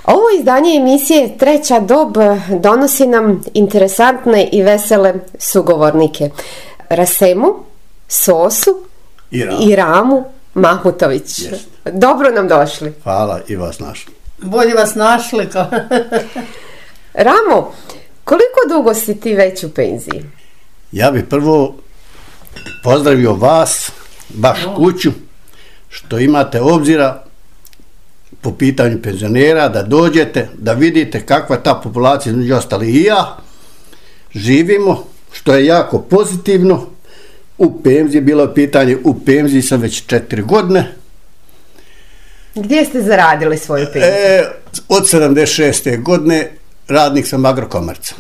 Ovo izdanje emisije Treća dob donosi nam interesantne i vesele sugovornike. Rasemu, Sosu i Ramu Mahmutović. Yes. Dobro nam došli. Hvala i vas našli. Bolje vas našli. Ramo, koliko dugo si ti već u penziji? Ja bih prvo pozdravio vas, baš kuću, što imate obzira po pitanju penzionera, da dođete, da vidite kakva ta populacija, između ostali i ja, živimo, što je jako pozitivno. U penziji, bilo je pitanje, u penziji sam već 4 godine. Gdje ste zaradili svoju penziju? Od 76. godine radnik sam Agrokomerca.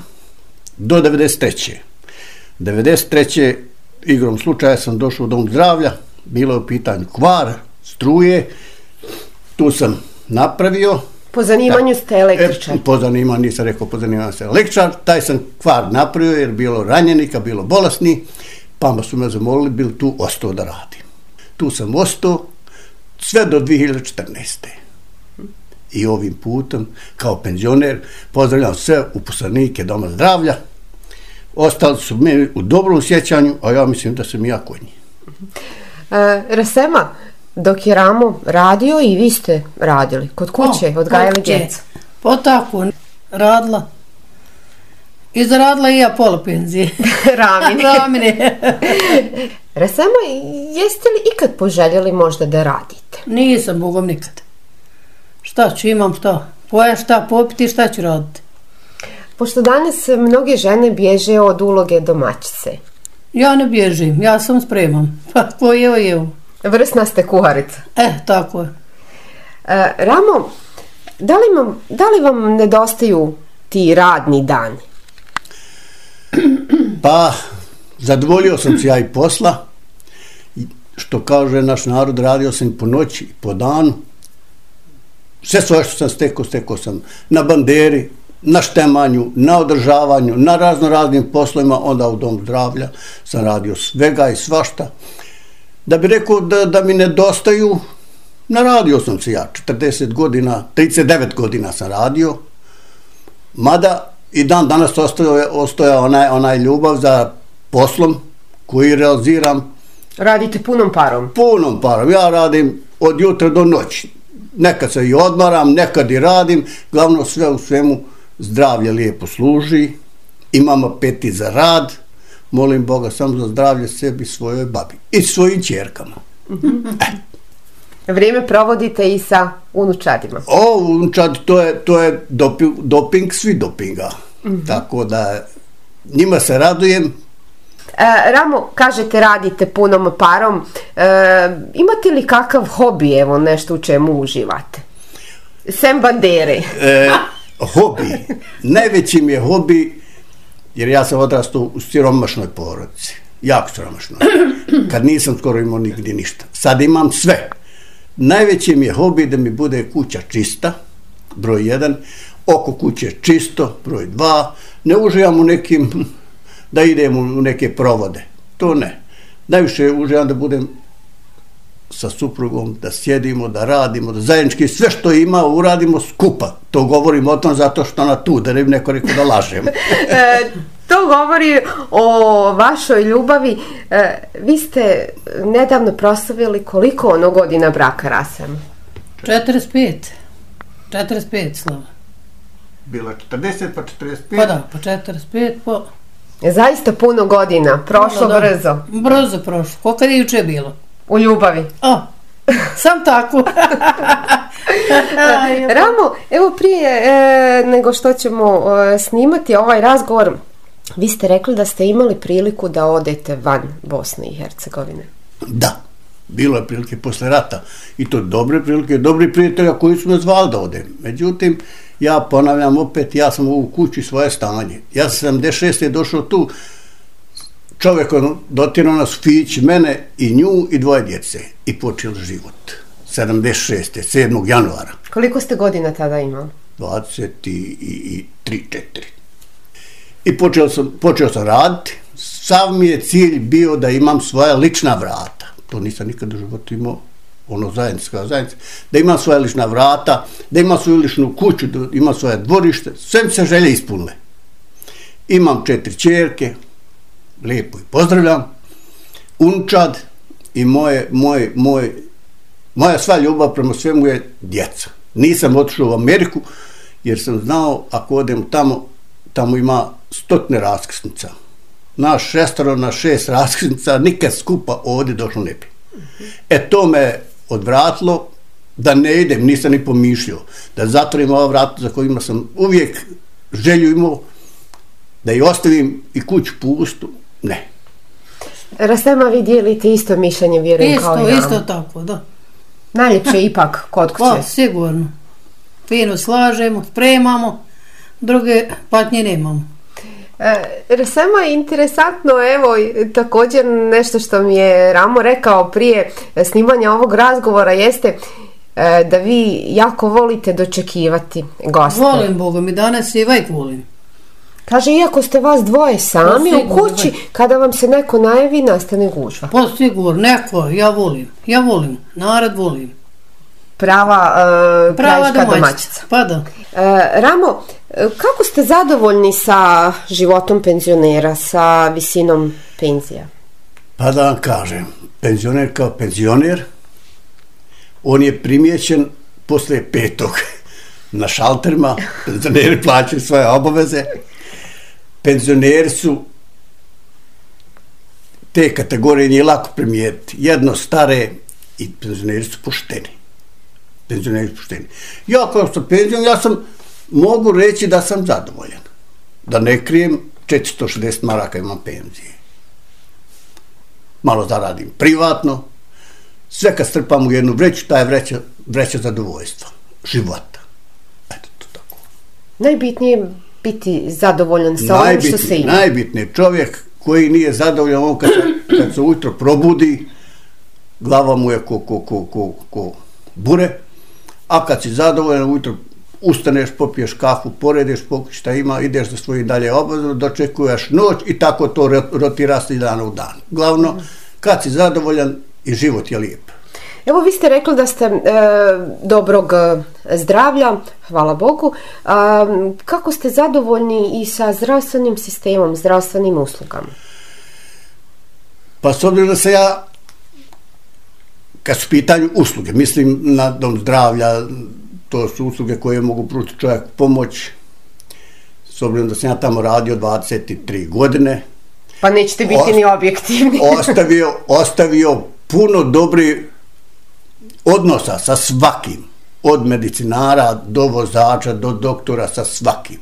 Do 93. 93. igrom slučaja sam došao u dom zdravlja, bilo je u pitanju kvar, struje, tu sam napravio. Po zanimanju ste električar? Po zanimanju, nisam rekao po zanimanju sam električar, taj sam kvar napravio jer bilo ranjenika, bilo bolesni, pa su me zamolili, bil tu ostao da radim. Tu sam ostao sve do 2014. I ovim putem, kao penzioner, pozdravljam sve uposlenike Doma zdravlja. Ostali su meni u dobrom sjećanju, a ja mislim da sam i ja kod njih. Rasema, dok je Ramo radio i vi ste radili kod kuće, odgajali djecu. Po tako radila. I zaradila i ja pola penzije. Ramine. Rasema, jeste li ikad poželjeli možda da radite? Nisam, Bogom, nikad. Šta ću, imam šta? Pojem šta popiti, šta ću raditi? Pošto danas mnoge žene bježe od uloge domaćice. Ja ne bježim, ja sam spremam. Pa ko jevo. Vrsna ste kuharica. Tako je. Ramo, da li vam nedostaju ti radni dani? Pa, zadovoljio sam se ja i posla. Što kaže naš narod, radio sam po noći i po danu. Sve svoje što sam stekao sam na banderi, na štemanju, na održavanju, na raznim poslovima, onda u Dom zdravlja sam radio svega i svašta. Da bi rekao da mi nedostaju, naradio sam se ja, 40 godina, 39 godina sam radio, mada i dan danas ostoja onaj ljubav za poslom koji realiziram. Radite punom parom? Punom parom, ja radim od jutra do noći. Nekad se i odmaram, nekad i radim, glavno sve u svemu zdravlje lijepo služi, imamo apeti za rad, molim Boga samo za zdravlje sebi, svojoj babi i svojim ćerkama. Vrijeme provodite i sa unučadima? Unučadi, to je doping svi dopinga, tako da njima se radujem. Ramo, kažete radite punom parom, imate li kakav hobi, evo nešto u čemu uživate? Sem bandere. Hobi, najveći mi je hobi, jer ja sam odrastao u siromašnoj porodici, jako siromašnoj, kad nisam skoro imao nigdje ništa. Sad imam sve. Najveći mi je hobi da mi bude kuća čista, broj 1, oko kuće čisto, broj 2, ne uživam u nekim, da idem u neke provode, to ne. Najviše uživam da budem sa suprugom, da sjedimo, da radimo, da zajednički sve što ima uradimo skupa. To govorim o tom zato što ona tu, da ne bi neko rekao da lažem. To govori o vašoj ljubavi. Vi ste nedavno proslavili koliko ono godina braka, Rasem? 45 slava. Bilo 40 pa 45. Pa da, pa 45 pa... Zaista puno godina, prošlo brzo. Brzo prošlo, koliko je juče bilo? U ljubavi. Sam tako. Ramo, evo prije nego što ćemo snimati ovaj razgovor, vi ste rekli da ste imali priliku da odete van Bosne i Hercegovine. Da, bilo je prilike posle rata i to dobre prilike, dobri prijatelja koji su me zvali da odem. Međutim, ja ponavljam opet, ja sam u kući svoje stanje. Ja sam 76. došao tu, čovjek dotirao nas Fić, mene i nju i 2 djece i počeo život. 76. 7. januara. Koliko ste godina tada imali? 23, 4. I počeo sam raditi. Sav mi je cilj bio da imam svoja lična vrata. To nisam nikad u životu imao ono zajednička zajednica, da ima svoja lična vrata, da ima svoju ličnu kuću, da ima svoje dvorište, sve mi se želje ispunile. Imam 4 ćerke, lijepo i pozdravljam, unčad i moja sva ljubav prema svemu je djeca. Nisam otišao u Ameriku jer sam znao ako odem tamo ima 100 raskrsnica. Naš 6 na 6 raskrsnica, nikad skupa ovdje došlo ne bi. To me odvratilo da ne idem, nisam ni pomišljao, da zatvorim ova vrata za kojima sam uvijek želju imao, da i ostavim i kuću pustu, ne. Rasema, vi dijelite isto mišljenje, vjerujem, kao i nam. Isto tako, da. Najljepše ipak kod kuće. Pa, sigurno. Fino slažemo, spremamo, druge patnje nemamo. Rasema, interesantno, evo, također nešto što mi je Ramo rekao prije snimanja ovog razgovora jeste da vi jako volite dočekivati goste. Volim, Boga mi, danas i vajk volim. Kaže, iako ste vas dvoje sami u kući, kada vam se neko najavi, nastane gužva. Pa sigurno, neko, ja volim, narod volim. Prava krajiška domaćica. Pa da. Ramo, kako ste zadovoljni sa životom penzionera, sa visinom penzija? Pa da vam kažem, penzioner kao penzioner, on je primijećen poslije 5. na šalterima, penzioneri plaćaju svoje obaveze. Penzioneri su te kategorije nije lako primijetiti. Jedno stare i penzioneri su pošteni. Ja kao sam penzion, mogu reći da sam zadovoljan. Da ne krijem, 460 maraka imam penzije. Malo zaradim privatno. Sve kad strpam u jednu vreću, ta je vreća zadovoljstva, života. Eto, to tako. Najbitnije je biti zadovoljan sa onim što se ima. Najbitnije, čovjek koji nije zadovoljan, on kad se ujutro probudi, glava mu je ko bure, a kad si zadovoljan, ujutro ustaneš, popiješ kafu, porediš, pokući šta ima, ideš za svoje dalje obaveze, dočekuješ noć i tako to rotira se iz dana u dan. Glavno, kad si zadovoljan i život je lijep. Evo, vi ste rekli da ste dobrog zdravlja, hvala Bogu. Kako ste zadovoljni i sa zdravstvenim sistemom, zdravstvenim uslugama? Pa s obzirom da se ja, kad su pitanju usluge, mislim na dom zdravlja, to su usluge koje mogu pružiti čovjek pomoć, s obzirom da sam ja tamo radio 23 godine. Pa nećete biti ni objektivni. Ostavio puno dobrih odnosa sa svakim, od medicinara do vozača, do doktora, sa svakim.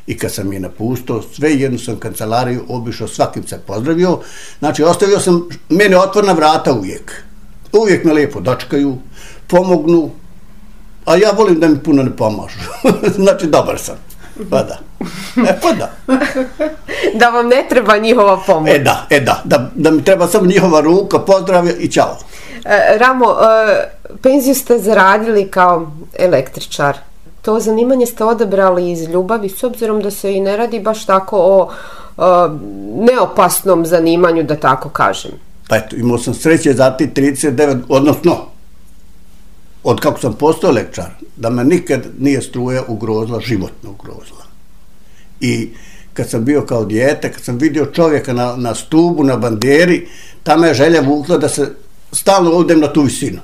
I kad sam je napustio, sve jednu sam kancelariju obišao, svakim se pozdravio. Znači, ostavio sam, mene otvorena vrata uvijek. Uvijek me lijepo dočekaju, pomognu, a ja volim da mi puno ne pomažu. Znači, dobar sam. Pa da. Pa da. Da vam ne treba njihova pomoć. Da mi treba samo njihova ruka, pozdrav i čao. Ramo, penziju ste zaradili kao električar. To zanimanje ste odabrali iz ljubavi, s obzirom da se i ne radi baš tako o neopasnom zanimanju, da tako kažem. Pa eto, imao sam sreće za ti 39, odnosno, od kako sam postao električar, da me nikad nije struja ugrozila, životno ugrozila. I kad sam bio kao dijete, kad sam vidio čovjeka na stubu, na banderi, ta me je želja vukla da se stalno odem na tu visinu.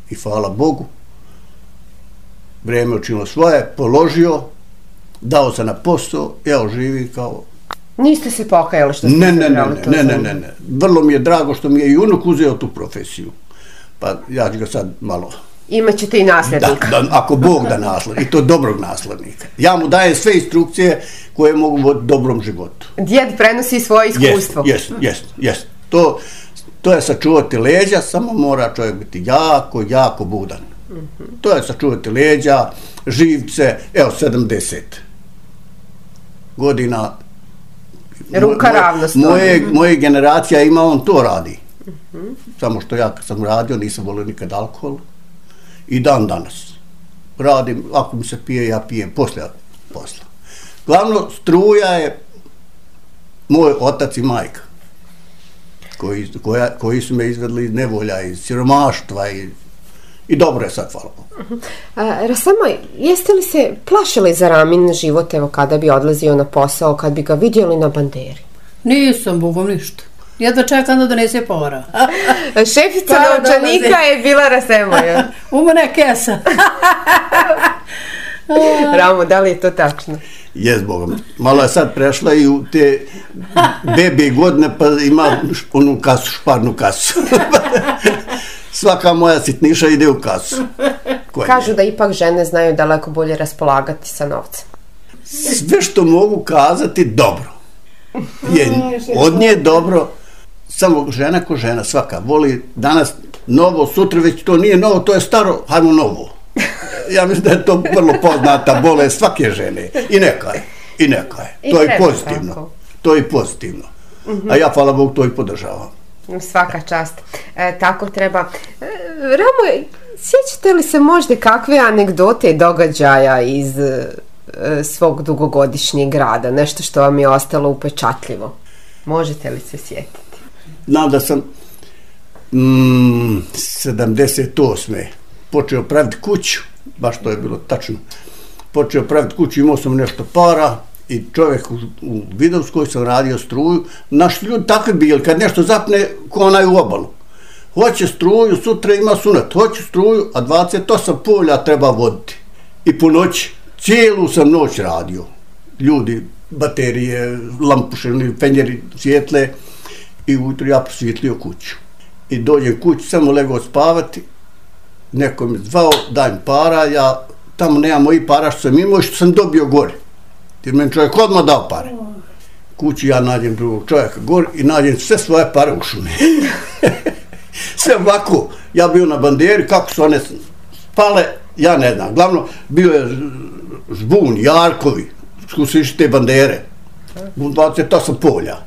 I hvala Bogu, vrijeme učinilo svoje, položio, dao se na posao, evo živim kao... Niste se pokajali što ste zabrali to? Ne. Vrlo mi je drago što mi je i unuk uzeo tu profesiju. Pa ja ću ga sad malo... Imaćete i nasljednika. Da, ako Bog da nasljednika, i to dobrog nasljednika. Ja mu dajem sve instrukcije koje mogu voditi dobrom životu. Djed prenosi svoje iskustvo. Jest. To je sačuvati leđa, samo mora čovjek biti jako budan. To je sačuvati leđa, živce, evo 70 godina. Ruka ravno stoji. Moje generacija ima, on to radi. Samo što ja kad sam radio nisam volio nikad alkohol. I dan danas radim, ako mi se pije, ja pijem poslije posla. Glavno, struja je moj otac i majka koji su me izvedli iz nevolja, iz siromaštva i I dobro je sad, hvala Bogu. Rasama, jeste li se plašili za Ramin život, evo, kada bi odlazio na posao, kad bi ga vidjeli na banderi? Nisam, Bogom, ništa. Jedva čekam da donese para. Šefica novčanika je bila Rasemoja. U mene kesa. Ramo, da li je to tačno? Jes, Bogom. Malo je sad prešla i u te bebe godine, pa ima onu kasu, šparnu kasu. Svaka moja sitniša ide u kasu. Kažu da ipak žene znaju daleko bolje raspolagati sa novcem. Sve što mogu kazati, dobro. Od nje je dobro, samo žena ko žena, svaka voli danas novo, sutra već to nije novo, to je staro, hajmo novo. Ja mislim da je to vrlo poznata bolest svake žene. I neka je. To je pozitivno. Tako. To je pozitivno. A ja, hvala Bogu, to i podržavam. Svaka čast. Tako treba. Ramo, sjećate li se možda kakve anegdote i događaja iz svog dugogodišnjeg rada? Nešto što vam je ostalo upečatljivo? Možete li se sjetiti? Znam da sam 78. počeo praviti kuću, baš to je bilo tačno. Počeo praviti kuću, imao sam nešto para i čovjek u Vidovskoj sam radio struju. Naši ljudi takvi bili, kad nešto zapne, ko onaj u obalu. Hoće struju, sutra ima sunet, hoće struju, a 28 polja treba voditi. I po noći, cijelu sam noć radio. Ljudi, baterije, lampuše, fenjeri, svjetle i ujutro ja prosvjetlio kuću. I dođem kući, samo legao spavati, neko mi zvao, daj mi para, ja tamo nemam mojih para što sam imao i što sam dobio gore. Jer meni čovjek odmah dao pare. Kući ja nađem drugog čovjeka gore i nađem sve svoje pare u šumi. Sve ovako, ja bio na banderi, kako su one spale, ja ne znam. Glavno, bio je žbun, jarkovi, su se išli te bandere. 28 polja.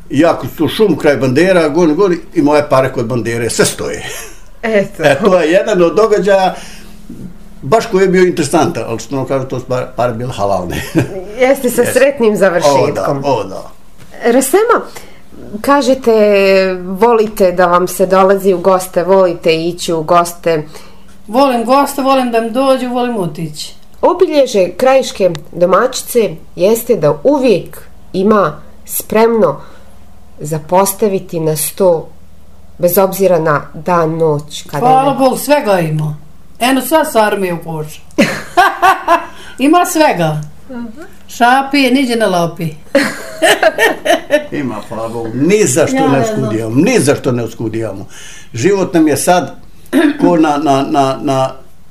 I ja kod tu šumu kraj bandera, gori i moje pare kod bandere, sve stoje. Eto. To je jedan od događaja, baš koji je bio interesantan, ali što ono kažu, to su pare bile halalne. Jeste sa sretnim završetkom. O da. Rasema, kažete, volite da vam se dolazi u goste, volite ići u goste. Volim goste, volim da mi dođu, volim otići. Obilježe krajiške domaćice jeste da uvijek ima spremno za postaviti na sto, bez obzira na dan, noć. Hvala Bogu, svega ima. Eno sva s armije u košu. Ima svega. Šapi, niđe ne lapi. Ima, hvala Bogu. Ni zašto ne oskudijamo. Život nam je sad ko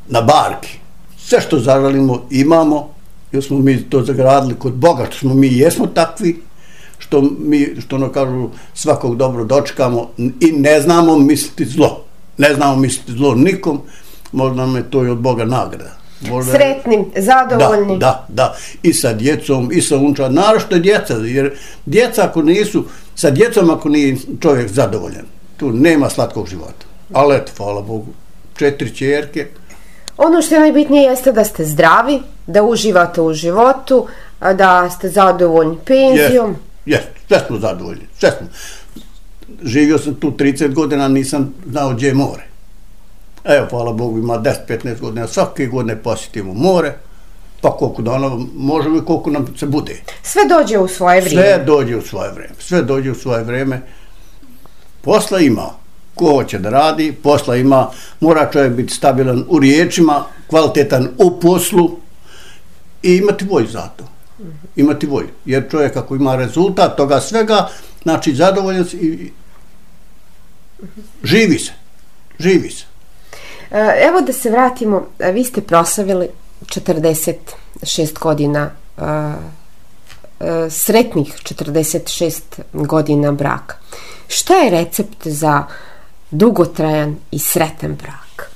na barki. Sve što zažalimo imamo, jer smo mi to zagradili kod Boga, što smo mi jesmo takvi, što ono kažu, svakog dobro dočekamo i ne znamo misliti zlo. Ne znamo misliti zlo nikom, možda nam je to i od Boga nagrada. Sretnim, zadovoljnim. Da. I sa djecom, i sa unčad, naročito djeca, jer djeca ako nisu, sa djecom ako nije čovjek zadovoljan, tu nema slatkog života. Ali eto, hvala Bogu, 4 ćerke. Ono što je najbitnije jeste da ste zdravi, da uživate u životu, da ste zadovoljni penzijom. Jes, sve smo zadovoljni, sve smo. Živio sam tu 30 godina, nisam znao gdje je more. Evo, hvala Bogu, ima 10-15 godina, svake godine posjetimo more, pa koliko dana možemo i koliko nam se bude. Sve dođe u svoje vrijeme. Sve dođe u svoje vrijeme. Posla ima. Ko hoće da radi, posla ima, mora čovjek biti stabilan u riječima, kvalitetan u poslu i imati volju za to. Imati volju. Jer čovjek ako ima rezultat toga svega, znači zadovoljan i živi se. Evo da se vratimo, vi ste proslavili 46 godina, sretnih 46 godina braka. Šta je recept za dugotrajan i sretan brak?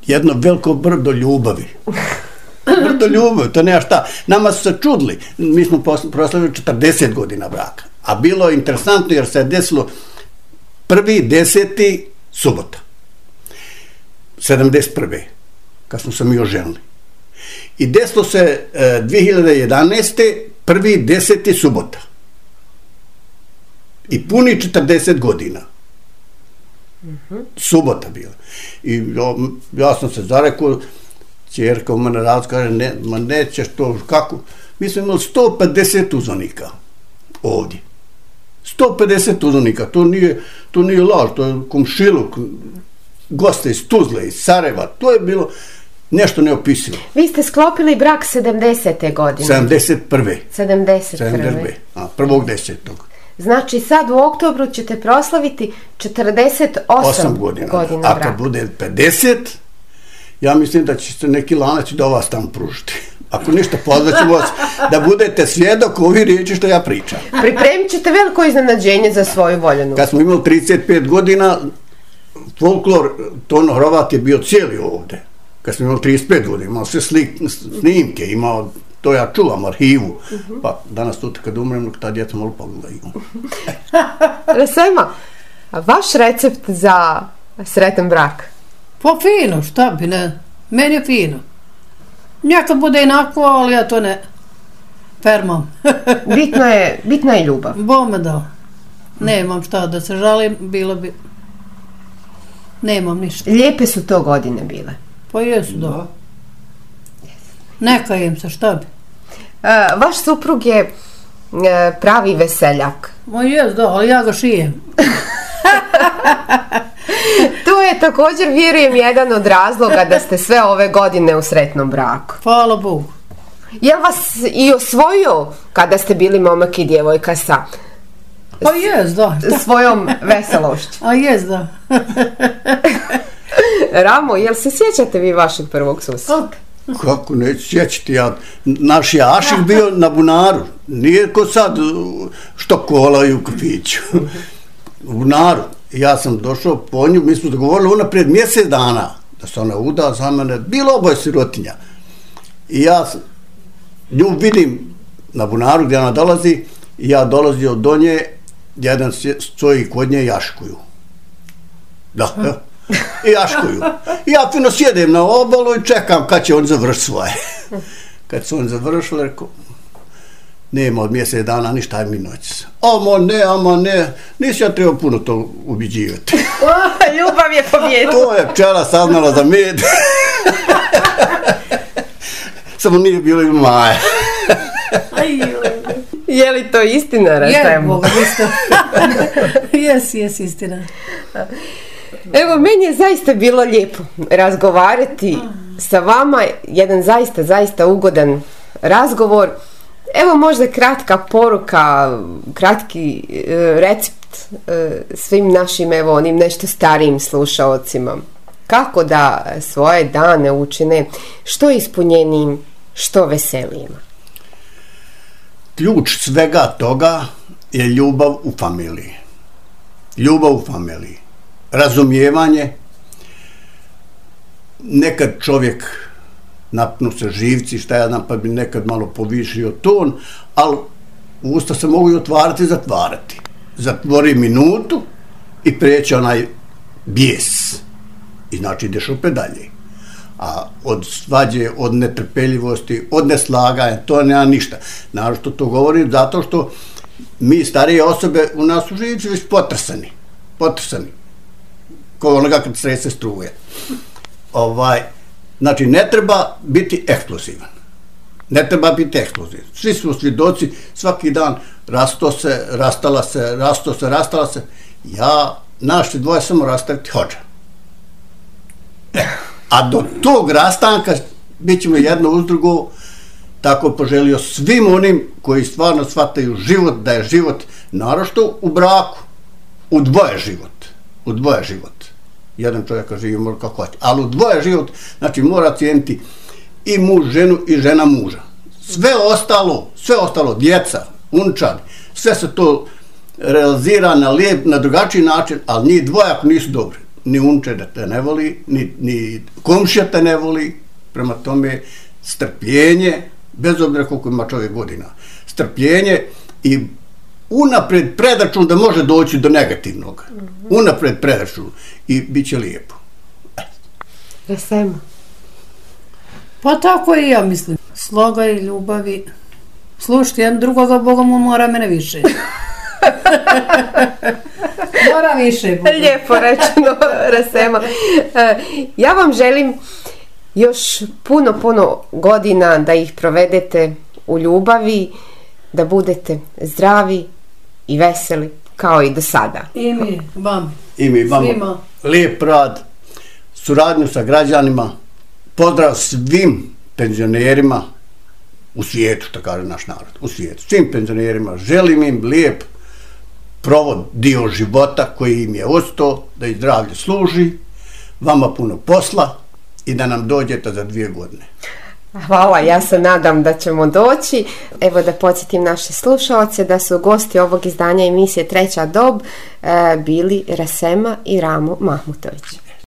Jedno veliko brdo ljubavi. To nema šta. Nama su se čudili. Mi smo proslavili 40 godina braka. A bilo je interesantno jer se je desilo 1.10. subota. 71. kad smo se mi oženili. I desilo se 2011. 1.10. subota. I puni 40 godina. Subota bila. I ja sam se zarekao, ćerka u mene raz kaže, ne, ma nećeš to, kako? Mi smo imali 150 uzvanika ovdje. 150 uzvanika, to nije laž, to je komšiluk, goste iz Tuzle, iz Sarajeva, to je bilo nešto neopisivo. Vi ste sklopili brak 70. godine. 71. 71. 1.10. Znači sad u oktobru ćete proslaviti 48 godina A braka. kad bude 50, ja mislim da će se neki lanac do vas tamo pružiti. Ako ništa, pozvaćemo vas da budete svjedok ovi riječi što ja pričam. Pripremit ćete veliko iznenađenje za svoju voljenu. Kad smo imali 35 godina, folklor Tono Hrovat je bio cijeli ovdje. Kad smo imali 35 godina, imao sve snimke, imao, to ja čuvam, arhivu. Pa danas tu kad umrem, ta djeca malo pogledaju. Rasema, vaš recept za sretan brak? Pa fino, šta bi ne, meni je fino. Neka bude inako, ali ja to ne fermam. Bitna je ljubav. Bome da. Nemam šta da se žalim, bilo bi... Nemam ništa. Lijepe su to godine bile. Pa jesu, da. Neka im se, šta bi. Vaš suprug je pravi veseljak. Ma jes, da, ali ja ga šijem. To je također, vjerujem, jedan od razloga da ste sve ove godine u sretnom braku. Hvala Bogu. Je li vas i osvojio kada ste bili momak i djevojka sa Pa jes, da. svojom veselošću? A jes, da. Ramo, jel se sjećate vi vašeg prvog susreta? Kako neću sjećati, naš je Ašik bio na bunaru, nije ko sad što kolaju u kafiću. U bunaru. Ja sam došao po nju, mi smo dogovorili unaprijed mjesec dana da se ona uda za mene, bilo oboje sirotinja. I ja nju vidim na bunaru gdje ona dolazi i ja dolazio do nje, jedan stoji kod nje i jaškuju. Da, i jaškuju. I ja fino sjedem na obalu i čekam kad će on završiti svoje. Kad su on završili, rekao, nema od mjesec dana ništa, aj mi noć. Ama ne, nisi ja trebao puno to ubiđivati. Ljubav je pobjedila. To je pčela saznala za med. Samo nije bilo i Maja. Je li to istina, Rasemo? Jes, istina. Evo, meni je zaista bilo lijepo razgovarati sa vama, jedan zaista ugodan razgovor. Evo možda kratka poruka, kratki recept svim našim, evo, onim nešto starijim slušaocima. Kako da svoje dane učine što ispunjenijim, što veselijima? Ključ svega toga je ljubav u familiji. Ljubav u familiji. Razumijevanje. Nekad čovjek napnu se živci, šta ja znam, pa bi nekad malo povišio ton, ali usta se mogu i otvarati i zatvarati. Zatvori minutu i prijeći onaj bijes. I znači ideš opet dalje. A od svađe, od netrpeljivosti, od neslaganja, to nema ništa. Naravno to govorim zato što mi starije osobe u nas u živci već potrsani. Kao onoga kad srese struje. Znači, ne treba biti eksplozivan. Svi smo svjedoci, svaki dan rasto se, rastala se. Naš dvoje samo rastaviti hođa. A do tog rastanka bit ćemo jedno uz drugo, tako poželio svim onim koji stvarno shvataju život, da je život naročito u braku, u dvoje život. Jedan čovjek živi mora kako hoće, ali u dvoje život, znači mora cijeniti i muž ženu i žena muža. Sve ostalo, djeca, unčad, sve se to realizira na lijep, na drugačiji način, ali njih dvoje ako nisu dobri. Ni unče da te ne voli, ni komšija te ne voli, prema tome strpljenje, bez obzira koliko ima čovjek godina, strpljenje i unaprijed predračun da može doći do negativnog. Unaprijed predračun i bit će lijepo. Rasemo. Pa tako i ja mislim. Sloga i ljubavi. Slušajte, jedan drugoga, Boga mu mora mene više. Mora više. Lijepo rečeno, Rasema. Ja vam želim još puno godina da ih provedete u ljubavi, da budete zdravi i veseli kao i do sada. I mi vam. I mi vam. Svima. Lijep rad, suradnju sa građanima, pozdrav svim penzionerima u svijetu, što kaže naš narod, u svijetu. Svim penzionerima želim im lijep provod dio života koji im je ostao, da ih zdravlje služi, vama puno posla i da nam dođete za 2 godine. Hvala, ja se nadam da ćemo doći. Evo da podsjetim naše slušalce da su gosti ovog izdanja emisije Treća dob bili Rasema i Ramo Mahmutović.